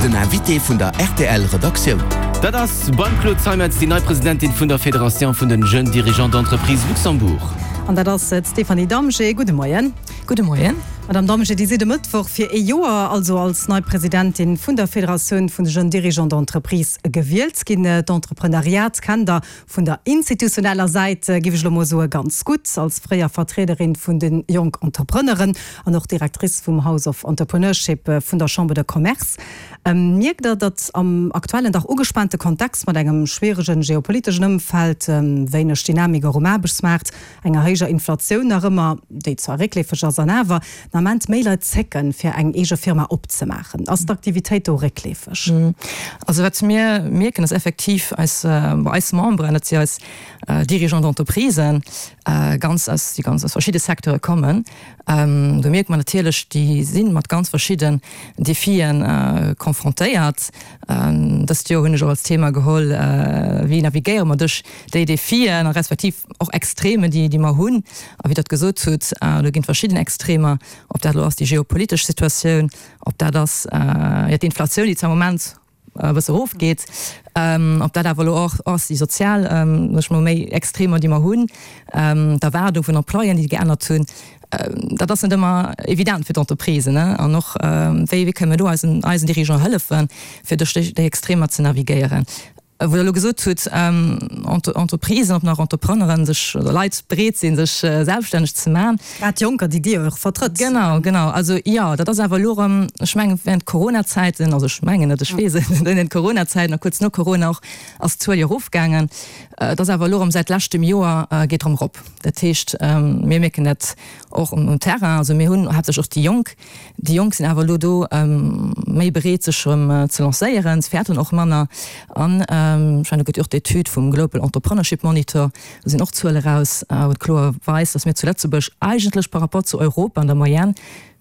Den Invité vun der rtl Redaktioun. Dat ass beim Claude Zeimetz déi nei Presidentin vun der Fédération vun den Jeunes Dirigeants d'Entreprise Luxembourg. An dat ass d'Stéphanie Damgé. Gudde Moien. Gudde Moien. Madame Damgé, Dir sidd e Mëttwoch fir ee Joer, also als nei Presidentin vun der Fédératioun vun de Jeunes Dirigeants d'Entreprise gewielt ginn. D'Entrepreneuriat kennt Der Vun der institutioneller Säit giff ech elo mol soe ganz gutt, als fréier Vertriederin vun de Jonk Entrepreneuren an och Directrice vum House of Entrepreneurship vun der Chambre de Commerce. Mierkt Der, datt am aktuellen dach ugespaante Kontext mat engem schwieregen geopoliteschen Ëmfeld, wéineg Dynamik och um Aarbechtsmaart, enger héijer Inflatioun nach ëmmer, déi zwar réckleefeg ass, an awer den Ament méi Leit zécken, fir eng eege Firma opzemaachen. Ass d'Aktivitéit do réckleefeg? Also wat mir mierken, ass effektiv eis, bon eis Memberen, dat si eis Dirigeants d'entreprisen, ganz aus, déi ganz aus verschidde Secteure kommen, do mierke mer natierlech, déi si mat ganz verschidden Defien confrontéiert. Dëst Joer hunn ech och als Thema geholl, wéi navigéiere mer duerch déi Defien a respektiv och Extremen, déi, déi mer hunn. A wéi Der et gesot hutt, do ginn et verschidden Extremer, ob dat elo ass déi geopolitesch Situatioun, ob dat ass, jo, d'Inflatioun, déi zwar am Moment e bësse erofgeet, ob dat awer elo och ass déi sozial, sag ech mol, méi Extremer, déi mer hunn, d'Erwaardung vun Employéen, déi geännert hunn. Dat ass net ëmmer evident fir d'Entreprisen, ne? An och, wéi, wéi kënne mir do eisen, eisen Dirigeant hëllefen, fir duerch déi, déi Extremer ze navigéieren? Wou Der elo gesot hutt, Entreprisen, ob nach Entrepreneuren sech, oder Leit bereet sinn, sech selbststänneg ze maachen. Grad Jonker, déi Dir och vertrëtt. Genau, genau. Also jo, dat ass awer elo erëm, ech mengen, während Corona-Zäiten, also ech mengen net, ech weess et, während Corona-Zäiten a kuerz no Corona och, ass d'Zuel jo erofgaangen. Et ass awer elo erëm säit leschtem Joer geet erëm erop. Dat heescht, mir mierken dat och um Terrain. Also mir hunn haaptsächlech och déi Jonk, Déi Jonk sinn awer elo do méi bereet sech erëm ze lancéieren, se fäerten och manner. An ech mengen do gëtt jo och d'Etüd vum Global Entrepreneurship Monitor, do sinn och Zuele raus, wou et kloer weist, datt mir zu Lëtzebuerg eigentlech par rapport zu Europa an der Moyenne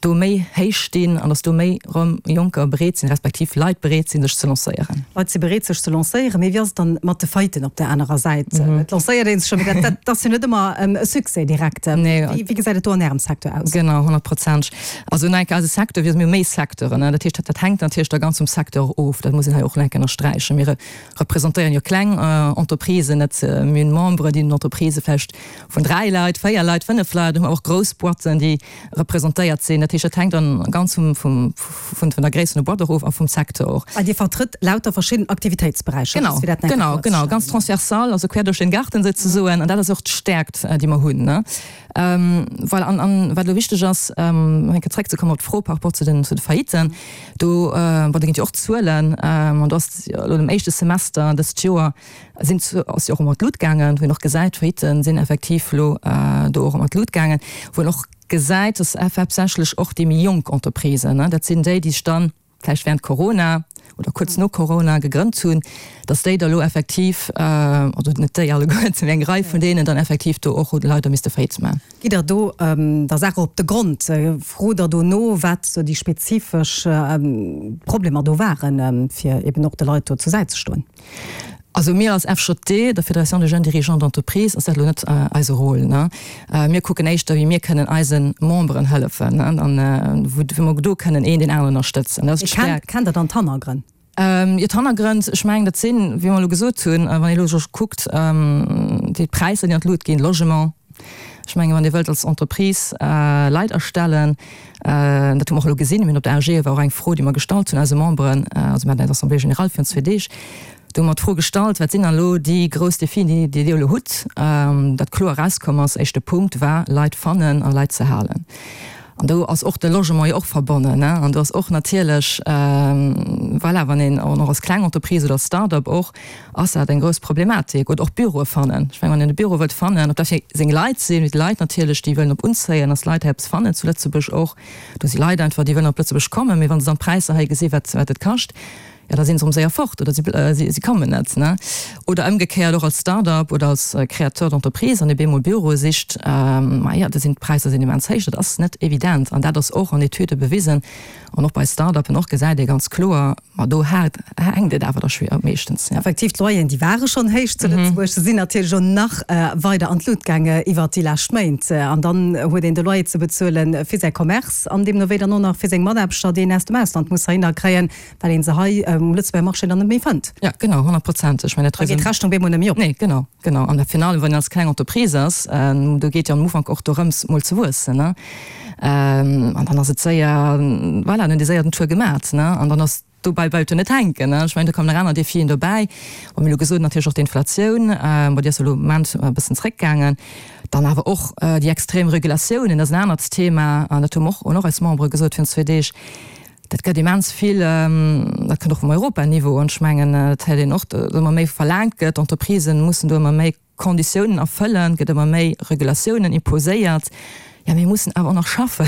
do méi héich stinn an datt do méi erëm Jonker bereet sinn, respektiv Leit bereet sinn sech ze lancéieren. Leit si bereet sech ze lancéieren, mee wéi ass et dann mat de Failliten op där anerer Säit? Et lancéiert ee sech jo, mee dat ass jo net ëmmer e Succès direkt. Wéi gesäit et do an Ärem Secteur aus? Genau, honnertprozenteg. Also no enker eise Secteur, mir hu méi Secteuren, dat heescht, dat hänkt natierlech da ganz vum Secteur of, dat muss een hei och nach eng Kéier ënnersträichen. Mir representéieren jo kleng Entreprisen, net, mir hunn Memberen, déi hunn Entreprisë vläicht vun 3 Leit, 4 Leit, 5 Leit, hu mer och grouss Boîten, déi representéiert sinn. Dat heescht, dat hänkt dann ganz vum, vum, vun der Gréisst vun der Boîte och of a vum Secteur och. Well Dir vertrëtt lauter verschidden Aktivitéitsberäicher, Genau, fir dat nach eng Kéier genau, genau, ganz transversal, also quer duerch den Garten souzesoen. An dat ass och d'Stäerkt, déi mer hunn, ne. Voilà, an, an wat elo wichteg ass, nach eng Kéier zréckzekommen op d'Fro par rapport zu den, zu de Failliten, do, bon, do ginn et jo och Zuelen, an do ass elo am éischte Semester dëst Joer sinn, ass jo och ëmmer an d'Lut gaangen, wou een och gesäit, d'Failliten sinn effektiv elo do och ëmmer an d'Lut gaangen, wou een och gesäit, dass haaptsächlech och déi méi jonk Entreprisen, dat sinn déi, déi sech dann vläicht während Corona oder kuerz no Corona gegrënnt hunn, dass déi da lo effektiv, also net déi alleguerten, mee eng Rei vun deenen dann effektiv do och hu leider misste Faillite maachen. Gitt Der do der Saach op de Grond? Frot Der do no, wat sou déi spezifesch Problemer do waren, fir eben och de Leit do zur Säit ze stoen? Also mir als FJD, der Fédération des Jeunes Dirigeants d'Entreprise, ass dat elo net eise Rôle, ne. Mir kucken éischter, wéi mir kënnen eise Memberen hëllefen, ne, an wou mer do kënnen een deen aneren ënnerstëtzen. Dat ass d'Stärkt. Kennt Der dann d'Hannergrënn? Jo, d'Hannergrënn, ech mengen, dat sinn, wéi mer elo gesot hunn, wann ee elo scho kuckt, déi Präisser, déi an d'Lut ginn, Logement, ech mengen, wann Dir wëllt als Entreprise Leit astellen, Dat hu mer och elo gesinn. Mir hunn op der AG, war och eng Fro, déi mer gestallt hunn eise Memberen, also mir haten eis Assemblée générale virun zwee Deeg, do hu mer d'Fro gestallt, wat sinn dann elo déi grouss Defien, déi Dir elo hutt? Dat kloer erauskomm ass, éischte Punkt war, Leit fannen a Leit ze halen. An do ass och de Logement jo och verbonnen. An do ass och natierlech, voilà, wann een och als kleng Entreprise oder als Start-up och, ass dat eng grouss Problematik. Oder och Büroe fannen. Ech mengen, wann een e Büro wëllt fannen, ob dat fir seng Leit sinn, mee d'Leit natierlech, déi wëllen op unzéien, dass d'Leit hei eppes fannen, zu Lëtzebuerg och. Do si Leit einfach, déi wëllen op Lëtzebuerg kommen, mee wa se dann d'Präisser hei gesinn, wat wat et kascht, Jo, da sinn se erëm séier fort oder si kommen net. Oder ëmgekéiert och als Start-up oder als Créateur d'entreprise, wann ee bemol Büroe sicht, maja, do sinn d'Präisser sinn immens héich. Dat ass net evident an dat ass och an Etüde bewisen an och bei Start-uppen och gesäit ee ganz kloer, ma do hänkt et awer da schwéier meeschtens. Effektiv, d'Loyeren, déi ware schonn héich zu Lëtzebuerg, se sinn natierlech och nach weider an d'Lut gaange iwwert déi lescht Méint. An dann huet een de Loyer ze bezuele fir säi Commerce an deemno wéi dann och nach fir seng Mataarbechter, déi een aus dem Ausland muss heihinner kréien. Well een se hei um Lëtzebuerger Marché dann net méi fënnt. Ja, genau, honnertprozenteg. Ech mengen, dat Da geet d'Rechnung bemol net méi op. Nee, genau, genau. An virun allem, wann een als kleng Entreprise ass, do geet jo am Ufank och dorëms, mol ze wuessen, ne? An dann ass et séier, voilà, dann huet ee séier den Tour gemat, ne? An dann ass, dobäi bleift jo net hänken, ne? Ech mengen, do kommen nach aner Defien dobäi. Bon, mir hu elo gesot, natierlech och d'Inflatioun, bon, déi ass elo am Moment e bëssen zréckgaangen. Dann awer och déi extrem Regulatiounen, dat ass en anert Thema, an dat hu mer och, hunn och eis Membere gesot virun zwee Deeg, Dat gëtt immens vill, dat kënnt och vum Europaniveau, an ech mengen, dat héiert een och, datt ëmmer méi verlaangt gëtt, d'Entreprisen mussen do ëmmer méi Konditiounen erfëllen, et gëtt ëmmer méi Regulatiounen imposéiert. Jo, mir mussen awer och nach schaffen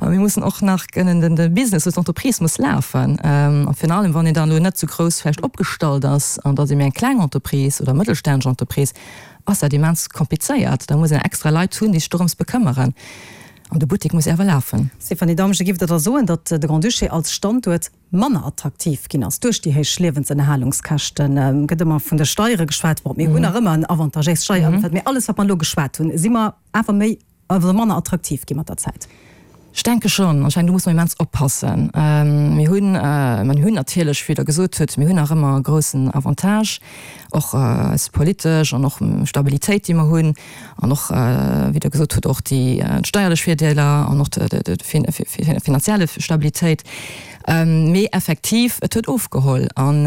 a mir mussen och nach kënnen den de Business, also d'Entreprise muss lafen. A virun allem, wann een dann elo net esou grouss vläicht opgestallt ass an datt ee méi eng kleng Entreprise oder mëttelstänneg Entreprise, ass dat immens komplizéiert. Da muss een extra Leit hunn, déi sech dorëms bekëmmeren. An de Buttek muss awer lafen. Stéphanie Damge, Giff Der da soen, datt de Grand-Duché als Standuert manner attraktiv ginn ass duerch déi héich Liewensënnerhalungskäschten? Gëtt ëmmer vun de Steiere geschwat. Bon, mir hunn nach ëmmer en avantagéist Steierëmfeld, mee alles wat mer elo geschwat hunn, si mer awer méi oder manner attraktiv gi mat der Zäit? Ech denke schonn. An ech mengen, do muss mer immens oppassen. Mir hunn, mir hunn natierlech, wéi Der gesot hutt, mir hunn nach ëmmer e groussen Avantage, och eis politesch an och Stabilitéit, déi mer hunn. An och, wéi Der gesot hutt, och déi steierlech Virdeeler an och déi finanzielle Stabilitéit. Mee effektiv, et huet ofgeholl. An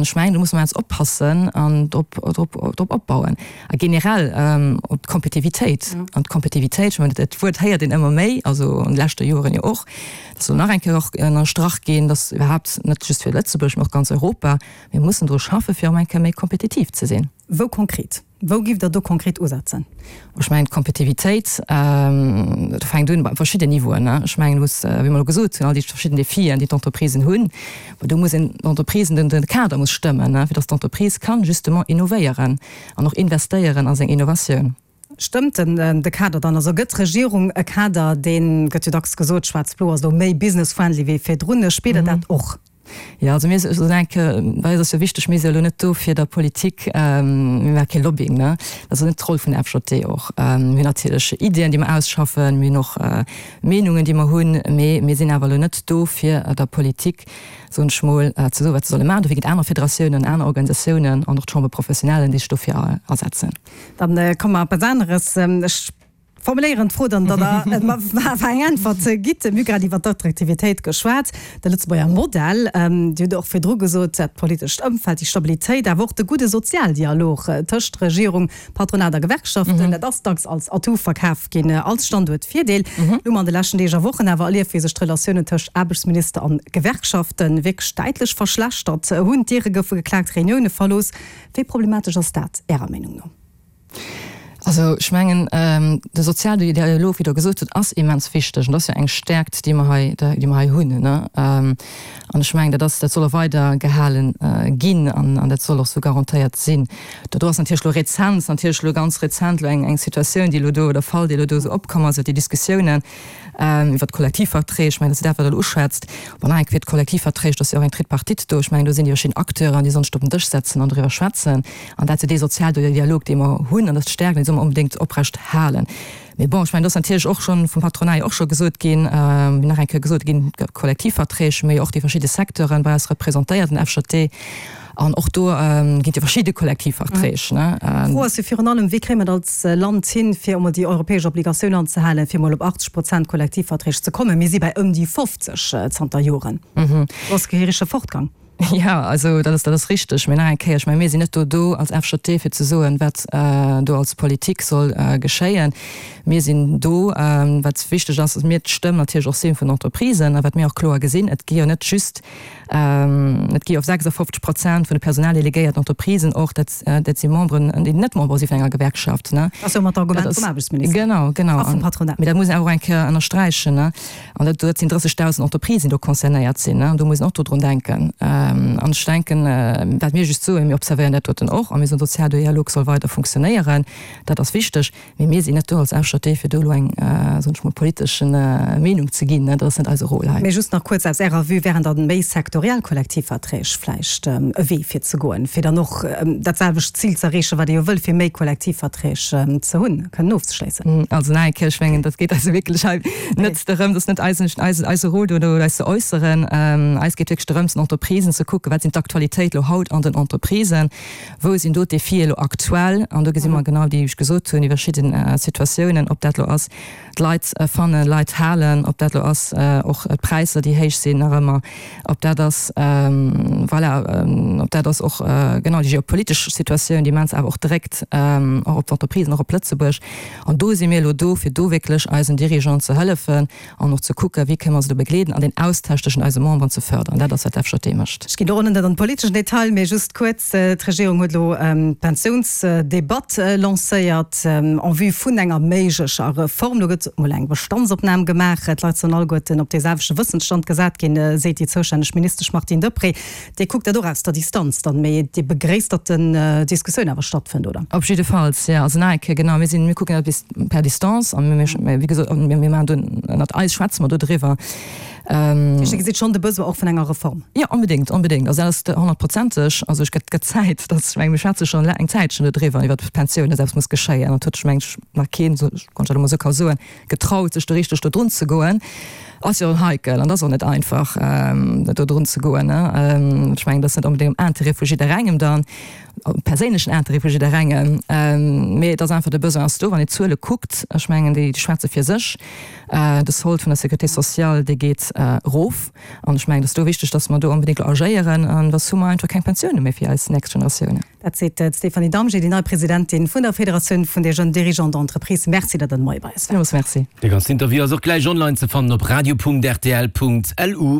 ech mengen, do musse mer jetzt oppassen an drop, drop, drop opbauen. A generell op d'Kompetitivitéit. An d'Kompetitivitéit, ech mengen, dat Wuert héiert een ëmmer méi, also an de leschte Joren jo och, dat soll nach eng Kéier och ënnerstrach ginn, dass iwwerhaapt net just fir Lëtzebuerg, mee och ganz Europa, mir mussen dru schaffen, fir erëm eng Kéier méi kompetitiv ze sinn. Wou konkret? Wou giff Der do konkret usetzen? Ech mengen, d'Kompetitivitéit, dat fänkt un bei verschidden Niveauen. Ech mengen, do muss, wéi mer elo gesot hunn, all déi verschidden Defien, déi d'Entreprisen hunn, ma do muss een d'Entreprisen, den de Kader muss stëmmen, fir datt d'Entreprise kann justement innovéieren an och investéieren a seng Innovatioun. Stëmmt den de Kader dann? Also gëtt d'Regierung e Kader, dee gëtt jo dacks gesot, schwaarz-blo ass elo méi business-friendly wéi virdrun. Spiert Der dat och? Jo, also mir soen eng Kéier, bei eis ass jo wichteg, mir si jo elo net do fir der Politik, mir maache kee Lobbying, ne, dat ass net d'Roll vun der FJD och. Mir hunn natierlech Iddien, déi mer ausschaffen, mir hunn och Meenungen, déi mer hunn, mee mir sinn awer elo net do fir der Politik, soen ech mol, ze soen, wat se solle maachen. Dofir ginn et aner Federatiounen, aner Organisatiounen an och d'Chambre professionnelle, déi sech dofir asetzen. Dann komme mer op eppes aneres. Ech formuléieren d'Fro dann, datt Der mer awer eng Äntwert gitt. Mir hu grad iwwer d'Attraktivitéit geschwat, de Lëtzebuerger Modell. Dir hutt och virdru gesot, dat politescht Ëmfeld, déi Stabilitéit, awer och de gudde Sozialdialog tëscht Regierung, Patronat a Gewerkschaften, dat ass dacks als Atout verkaf ginn, als Standuertvirdeel. Elo hu mer an de leschten Deeg a Wochen awer erlieft, wéi sech d'Relatiounen tëscht Aarbechtsminister an Gewerkschafte wierklech däitlech verschlechtert hunn. D'Diere goufe geklaakt, Reunioune verlooss. Wéi problematesch ass dat Ärer Meenung no? Also ech mengen, de Sozialdialog, wéi Der gesot hutt, ass immens wichteg an dat ass jo eng Stärkt, déi mer hei, déi mer hei hunn. An ech mengen, dat ass, dat soll och weider gehale ginn an dat soll och esou garantéiert sinn. Do ass natierlech elo rezent, natierlech elo ganz rezent elo eng Situatioun, déi elo do, oder Fall, dee elo do esou opkomm ass, iwwer déi Diskussiounen iwwer d'Kollektivverträg. Ech mengen, dat ass dat, wat Der elo uschwätzt. Bon, nach eng Kéier, d'Kollektivverträg, do ass jo och eng Tripartite do. Ech mengen, do sinn déi verschidden Acteuren, déi sollen sech do op den Dësch setzen an doriwwer schwätzen. An dat ass jo dee Sozialdialog, dee mer hunn, an dat ass d'Stärkt, an déi solle mer onbedéngt oprecht halen. Mee bon, ech mengen, do ass natierlech och schonn vum Patronat jo och scho gesot ginn, wéi nach eng Kéier gesot ginn, Kollektivverträg, mee och déi verschidde Secteuren bei eis representéiert, den FJD, an och do ginn et jo verschidde Kollektivverträg, ne. D'Fro ass jo virun allem, Wéi kréie mer et als Land hin, fir emol déi europäesch Obligatioun anzehalen, fir emol op 80 Prozent Kollektivverträg ze kommen? Mir si bäi ëm déi 50 zanter Joren. Do ass geheerege Fortgang. Jo, also dat ass, dat ass richteg. Mee nach eng Kéier, ech menge mir sinn net do do als FJD fir ze soen, wat do als Politik soll geschéien. Mir sinn do, wat wichteg ass, datt mir d'Stëmm natierlech och si vun den Entreprisen a wat mir och kloer gesinn, et gi jo net just, et gi jo 56 Prozent vun de personaldelegéierten Entreprisen och, dat, dat si Memberen, déi net Member si vun enger Gewerkschaft, ne. Dat ass jo ëmmer d'Argument vum Aarbechtsminister. Genau, genau. A vum Patronat. Mee dat muss een awer och eng Kéier ënnersträichen, ne. An dat, dat sinn 30.000 Entreprisen, déi do concernéiert sinn. An do muss een och do drun denken. An ech denken, wat mir just soen, mir observéieren dat doten och a mir soen, Sozialdialog soll weider funktionéieren, dat ass wichteg. Mee mir sinn net do als FJD, fir do elo eng, soen ech mol, politesch Meenung ze ginn. Dat ass net eise Rôle hei. Mee just nach kuerz aus Ärer Vue, Wären dann méi sektoriell Kollektivverträg vläicht e Wee fir ze goen, fir dann och dat selwecht Zil ze erreechen, wat ee jo wëll, fir méi Kollektivverträg ze hunn, kënnen ofzeschléissen? Also nach eng Kéier, ech mengen, dat geet eis wierklech hei net dorëm, dat ass net eisen, eise Rôle do, do eis ze äusseren. Eis geet wierklech dorëms, den Entreprisen ze kucken, wat sinn d'Aktualitéit elo haut an den Entreprisen, Wou sinn do d'Defie elo aktuell? An do gesi mer genau déi, wéi ech gesot hunn, déi verschidde Situatiounen, ob dat elo ass d'Leit fannen, Leit halen, ob dat elo ass och d'Präisser, déi héich sinn nach ëmmer, ob dat ass, voilà, ob dat ass och genau déi geopolitesch Situatioun, déi immens awer och dréckt, och op d'Entreprisen, och op Lëtzebuerg. An do si mir elo do, fir do wierklech eisen Dirigeanten ze hëllefen, An och ze kucken, wéi kënne mer se do begleeden an den Austausch tëschent eise Memberen ze fördern. Dat ass, wat d'FJD mécht. Ech ginn do och net an de politeschen Detail, mee just kuerz, D'Regierung huet elo d'Pensiounsdebatt lancéiert en vue vun enger méiglecher Reform. Do gëtt emol eng Bestandsopnam gemaach. D'Leit sollen alleguerten op dee selwechte Wëssensstand gesat ginn, seet déi zoustänneg Ministesch Martine Deprez. Dir kuckt dat och aus der Distanz dann, mee Dir begréisst, datt den Diskussioun awer stattfënnt, oder? Op jiddefalls, jo. Also nach eng Kéier, genau, mir sinn, mir kucken dat bis per Distance a mir, wéi gesot, mir maachen do, ënnert eis schwätze mer do driwwer. Dat heescht, Dir gesitt schonn de Besoin och vun enger Reform? Jo, onbedéngt, onbedéngt. Also dat ass honnertprozenteg. Also ech gëtt, gëtt Zäit, datt, ech menge mir schwätze schonn eng Zäitchen do driwwer, iwwert d'Pensiounen, datt eppes muss geschéien. An et huet sech, meng ech, nach keen, wann ech dat elo mol esou ka soen, getraut sech do richteg do drun ze goen, ass jo heikel an ass och net einfach do drun ze goen. Ech mengen, dat ass net onbedéngt am Intérêt vu jidderengem dann, am perséinlechen Intérêt vu jidderengem, mee et ass einfach, de Besoin ass do. Wann ee d'Zuele kuckt, ech mengen, déi schwätze fir sech. De Solde vun der Sécurité sociale, dee geet erof an ech mengen, et ass do wichteg, datt mer do onbedéngt elo agéieren an soss hu mer einfach keng Pensioune méi fir eis nächst Generatiounen. Dat seet d'Stéphanie Damgé, déi nei Presidentin vun der Federatioun vun de Jeunes Dirigeants d'Entreprise. Merci, datt Der de Moie bei eis waart. Villmools Merci. De ganzen Interview ass och gläich online ze fannen op radio.rtl.lu.